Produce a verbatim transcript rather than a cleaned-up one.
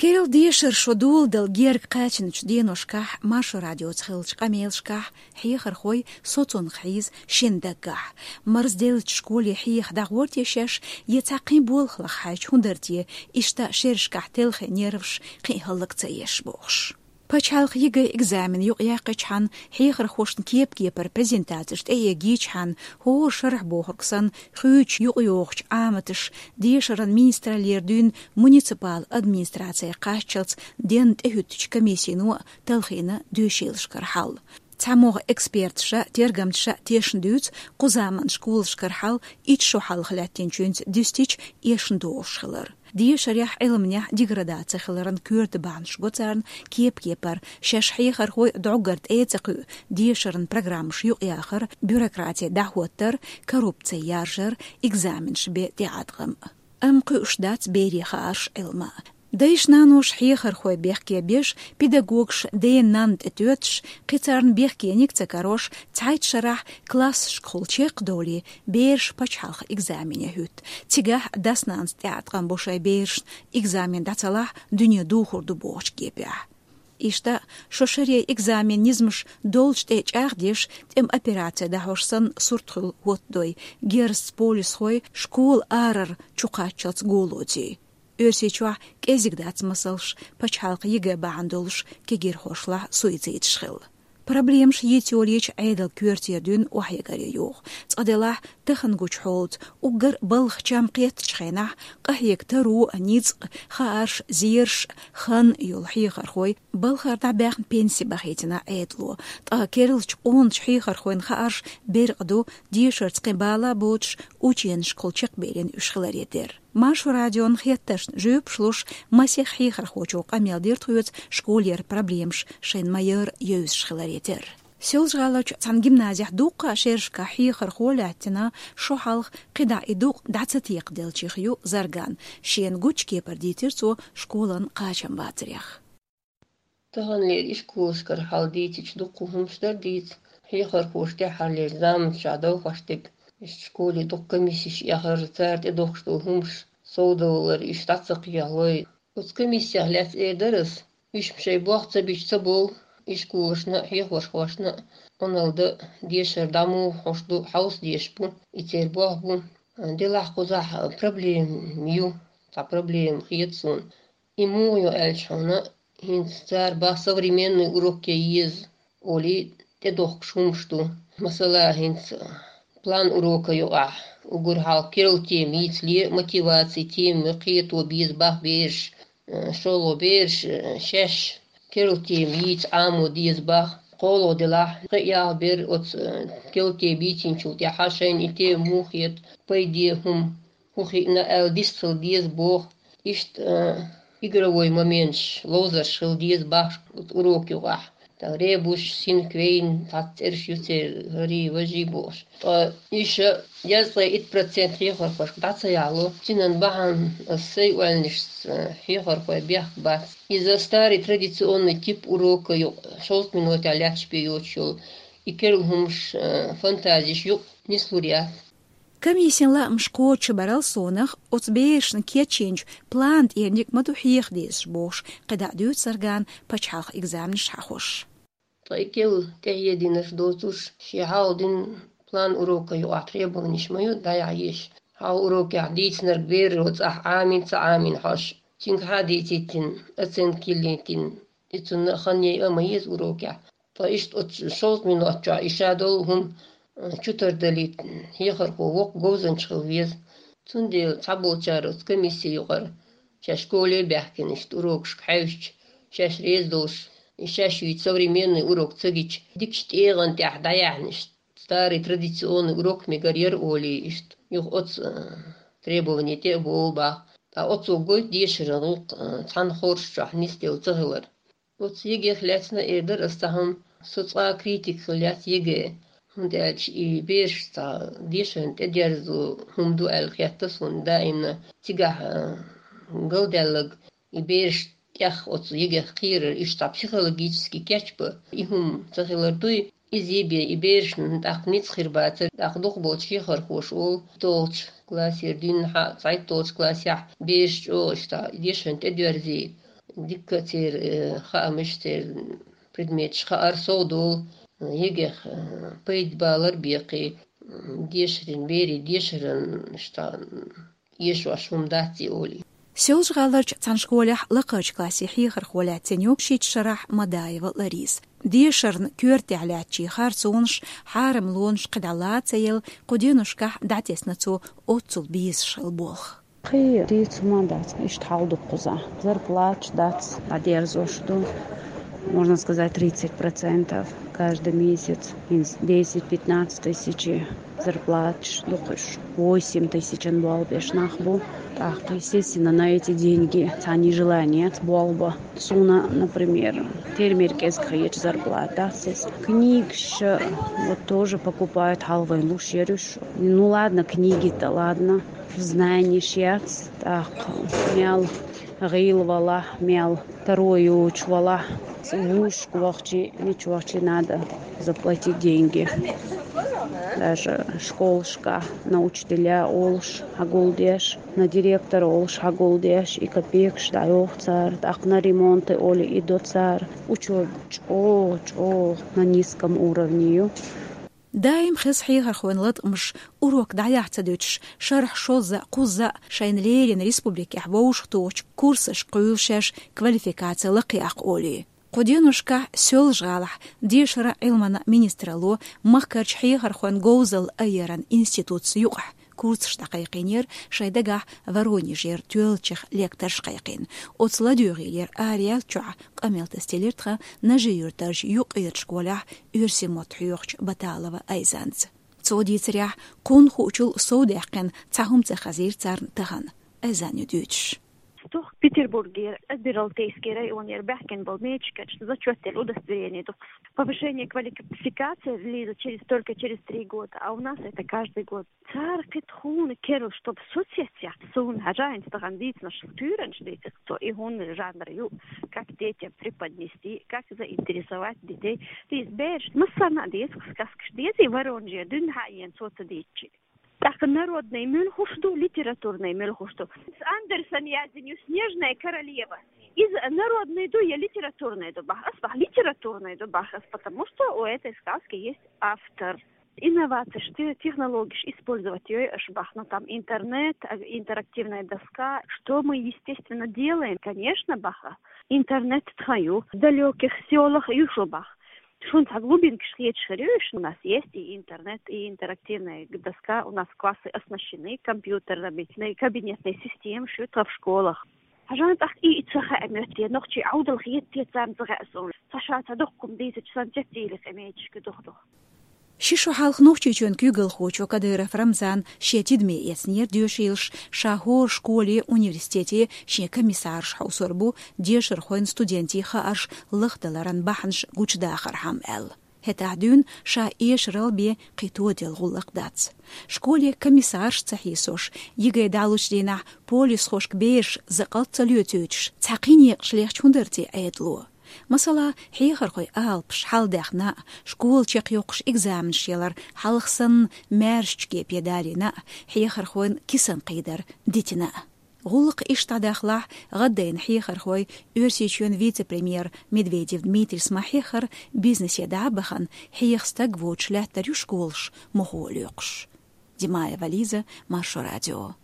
Керла дешар шо доладала герга кхаьчначу деношкахь, Маршо радиоца хиллачу къамелашкахь хьехархой соцунах хьийза шина даггахь. Марзделлачу школе хьеха дӀагӀор те шаьш, я цхьа кхин болх лаха хьаьжча хӀун дара те, иштта шерашкахь телхина нерваш кхин хӀаллак ца еш бохуш. Пачхьалкхан ЕГЭ экзамен юкъаяьккхичхьана хьехархошна кеп-кепара презентацеш тӀеэгийчхьана, хӀора шарахь бохург санна, хуьйцуш юкъайохучу Ӏаматаша дешаран министраллера дуьйна муниципал администрацехь кхаччалц денна тӀехӀуьттучу комиссино а талхийна доьшийлашкара хьал. ЦхьамогӀа эксперташа, тергамташа тешна дуьйцу кху заманан школашкара хьал итт шо хьалха лаьттинчуьнца дуьстича эшна догӀуш хилар. Дешарехь, Ӏилманехь деградаци хиларан коьрта бахьанаш го царна кеп-кепара, шаьш хьехархой дӀоггара тӀе а ца кхуьу, дешаран программаш юкъаяхар, бюрократи дӀахӀоттар, коррупци яржар, экзаменаш бен тӀеӀаткъам. Амма кхуьуш дац берийн хаарш, Ӏилма. Дайша-наноша хьехархой бехке беш, педагогаш ден-нанна тӀе тоьттуш, кхин царна бехкениг а ца карош, цхьайтта шарахь классашкахула чекхдовлий, бераш пачхьалкхан экзамене хӀуьтту. Цигахь дас-нанас тӀеӀаткъам бо шайн берашна, экзамен дӀа ца лахь, дуьне духур ду бохучу кепехь. Иштта, шо шаре экзамен низамаш долчу тӀе чӀагӀдеш, тӀеман операци дӀахьош санна, сурт хуьлу хӀоттадой, герзаца полисхой школа арара чукхаччалц го лоций. Оьрсийчохь кӀезиг дац масалш, пачхьалкхан ЕГЭ бахьана долуш кегирхошлахь суицидаш хилла. Проблемаш йийца йолийча, Ӏедалан коьртера дуьйна охьаэгаре йогӀу. Цкъа делахь, тахана гучу хьолаца, уггар балха чам кхеттачу хенахь, къахьега таро а, ницкъ а, хаарш а, зераш а, хан а йолу хьехархой балхара дӀабаьхна пенси бахийтина Ӏедало. Ткъа керлачу къоначу хьехархойн хаарш беркъа ду, дешарца кхин бала а боцуш, ученашкахула чекхбеллина уьш хиларе терра. Маршо радион хеттаршна жоьпаш луш, масех хьехархочо къамел дира тхоьца школера проблемаш шайна ма-ярра евзаш хиларе терра. Соьлжа-ГӀаларчу цхьана гимназехь дуккха а шерашкахь хьехархо лаьттина, шо хьалха кхидӀа и дукъ дӀа ца текхаделлачех ю Зарган, шена гучу кепара дийцира цо школан кхачам бацарех. Таханлера ишколашкара хьал дийцича, дуккха хӀумнаш дара дийца, хьехархоша тӀаьххьарлера заманчохь довхош дерг. Иштта школе дукха комиссеш эхар, цара тӀедохкуш долу хӀумнаш совдовлар, иштта дӀа ца кхехьалой. Оцу комиссех лаьцна эр дара ас, уьш-м шайн болх ца бича ца болу, ишколашна а, хьехархошна а Ӏуналла дан а, дешар дӀа муха хьош ду, хьовса дезаш бу, и церан болх бу. Делахь кхузахь проблема ю, цхьа проблема хета суна. И муха ю аьлча хьуна, хӀинца цара бах современный урок ян еза олий, тӀедохкуш хӀумнаш ду. Масала, хӀинца план урока юкъахь уггар хьалха керла тема йийцале, мотиваци тема кхето беза бах бераш, э, шолгӀа бераш, э, шаьш керла тема йийца Ӏамо деза бах. КхоалгӀа делахь, кхин а ялх бер оцу, э, керла тема йийцинчул тӀаьхьа шайна и тема муха хета, пайде хӀума хӀун хиъна аьлла дистхила деза боху. Иштта, а, игровой моменташ, ловзарш хила деза бахаш урок юкъахь. Тхан ребус, синквейн, цхьацца цӀераш ю церан, хӀарий, важий бохуш. Ткъа иша язткъе итт процент хьехархошка дӀа ца яхьало, цуьнан бахьана ас сайн ойланашца хьехархой бехк бац. Иза старый традиционный тип урока юкъа, шовзткъа минотехь лаьтташ бен йоцуш йолу, и керла хӀумаш, а, фантазиш юкъа нислур яц. Комиссин лаамаш кхочушбарал совнаха, оцу берашна кечйинчу план тӀерниг ма ду хьеха дезаш бохуш, кхидӀа дуьйцу Заргана пачхьалкхан экзаменаш хьахош. Ткъа и керла тӀехьединарш доцуш, шен хьалха дина план урока юкъахь требованиш ма ю дӀаяхьа езаш. Хьалха урокехь дийцинарг бераро цӀахь Ӏамийна, ца Ӏамийна хьожуш, цуьнгахьа а дийцийтина, оценка йиллийтина, и цунна а хан яйа а ма еза урокехь. Ткъа иштта оцу шовзткъа минот чохь и ша долу хӀума, а, чу тардалийта хьехархо воккха говзанча хила веза. Цундела цхьаболчара оцу комисси юкъара шаьш школе а баьхкина, иштта урокашка хьаьвсича, шаьш реза долуш, и шаьш йийца современный урок ца гича, дикачу тӀегӀан тӀехь дӀаяьхьна, иштта старый традиционный урок мегар яра олий, иштта юха оцу, а, требовани тӀе а бовлу бах. Ткъа оцо гойту дешаран гӀуллакх, а, цхьана хорша чохь нисделла ца хилар. Оцу ЕГЭ-х лаьцна эр дара ас цхьа хӀума, со цкъа а критик хила яц ЕГЭ, хӀунда аьлча и бераш цхьа дешарна тӀедерзо хӀума ду аьлла хетта суна даимна. Цигахь, а, галдаьлларг и бераш тӀех оцу ЕГЭ-х кхерар, уьш цхьа психологически кечбан и хӀума ца хилар дуй, иза бен и берашна тӀаккха ницкъ хир бацара, тӀаккха дукхахболчу хьехархоша олу, итт долчу классера дуьйна хьа, цхьайтталгӀачу классехь бераш чӀогӀа иштта дешарна тӀедоьрзий, Дика церан, э, хаамаш, церан предметаш хаар сов долу, э, ЕГЭ-х, э, пайда балар бекхий, м, дешарийн, берийн дешаран, м, иштта, м, эшош хӀума дац и олий. Соьлжа-ГӀаларчу цхьана школехь лакхарчу классийн хьехархо лаьцна ю шийтта шарахь Мадаева Лариса. Дешарна коьртехь лаьттачийн харцонаш, хьарамлонаш кхидӀа ла ца елла, кху деношкахь дӀатесна цо оццул безаш хилла болх. Кхин дийца хӀума дац, иштта хьал ду кхузахь. Зарплаташ дац, дӀадерзош ду, можно сказать, тридцать процентов каждый месяц. ХӀинца десять-пятнадцать тысяч зарплаташ ду кхуьш. Восемь тысяч болх беш нах бу. ТӀаккха, естественно, на эти деньги цхьанна желание яц болх бан. Суна, например, фермер кӀезиг хеташ зарплата дац иза. Книгаш вот тоже покупают, хьалха вайн луш яра уьш. Ну ладно, книги-то ладно. Знаниеш яц, тӀаккха мел гӀийла валахь, мел таро йоцуш валахь, вузашка вахча, мича вахча надо заплатить деньги. Даже школашкахь на учителя олуш хьагулдеш, на директор олуш хьагулдеш, и копейкаш дӀайоху цара, тӀаккха на ремонты олий и до цара. Учёба чӀогӀа, чӀогӀа на низком уровне ю. Даим хеза хьехархойн латкъамаш, урок дӀаяхьа ца дуьтуш, шарахь шозза а, кхузза а шайна леррина республикехь вовшахтохучу курсашка кхуьйлу шаьш квалификаци лакхаяккха олий. Кху деношкахь Соьлжа-ГӀалахь дешаран а, Ӏилманан а министралло махкарчу хьехархойн говзалла айъаран институтца юкъахь курсаш дӀакхайкхийнера, шайн дагахь Воронежера тоьллачех лекторш кхайкхийна. Оцу ладоьгӀийлера араяьллачохь къамел тасделира тхан Нажи-Юьртарчу юккъерачу школехь оьрсийн мотт хьоьхучу Баталова Айзанца. Цо дийцарехь, кхунна хуучул совдаьккхина цхьа хӀума ца хезира царна тахана. Айзанна ю дуьйцуш. Стохка Петербургера Адмиралтейский районера баьхкина болу медикашна зачёт делла удостоверение ду. Повышение квалификации, Лиза, через, только через три года, а у нас это каждый год. Цара кхин тхуна керла, чтоб соцсетях суна хьажа, хӀинца тахана дийцинарш туьйранаш дийцира цо, и хӀунда жанр ю, как детям преподнести, как заинтересовать детей. Иза бераш массарна а деза, сказкаш дезий, Воронеже дуьйна хьаена цо ца дийцчи. ТӀаккха народный муьлхуш ду, литературный муьлхуш ду. Андерсен яздина ю Снежная королева. Иза народный ду я литературный ду бах? Ас бах литературный ду бах ас, потому что у этой сказки есть автор. Инновацеш, те-, технологеш использовать йой аша бах, ну, там интернет, а, интерактивная доска. Что мы, естественно, делаем? Конечно, баха, интернет тхан ю, в далёких сёлах ю шу бах. Шуна цхьа глубинкаш хеташ хир ю, у нас есть и интернет, и интерактивная доска, у нас классы оснащены компьютерами, и кабинетные системы шу тхан в школах. Хьажа, тӀаккха и ца хаьа моьтту, нохчий Ӏовдал хетте царна ца хаьа суна. Ца ша ца дуккхум дийцачу сан цецийли къемечашка дух-дух. Ши шо хьалха Нохчийчоьнан куьйгалхочо Кадыров Рамзана шен тидаме эцнера доьшийлаш, ша хӀора школе, университете шен комиссарш хьовсур бу, дешархойн, студентийн хаарш лахдаларан бахьанаш гучудахархьама аьлла. ХӀетахь дуьйна ша эшарал бен кхин тодел гӀуллакх дац. Школе комиссарш ца хьийсош, ЕГЭ дӀалучу дийнахь полисхошка бераш закъалт ца лоьцуьйтуш, цхьа кхин некъаш лехча хӀун дара те Ӏедало? Масала, хьехархойн алапаш хьалдаьхна а, школа чекхйоккхуш экзаменаш ялар хьалха санна маьршачу кепе далийна а, хьехархойн кисан кхийдар дитина а. ГӀуллакх иштта дӀадахалахь, гӀаддайна хьехархой Оьрсийчоьнан вице-премьер Медведев Дмитрийс ма-хьеххара, бизнесе дӀа а бахана, хьеха стаг воцуш лаьттар ю школаш мохо а лоькхуш. Димаева Лиза, Маршо радио.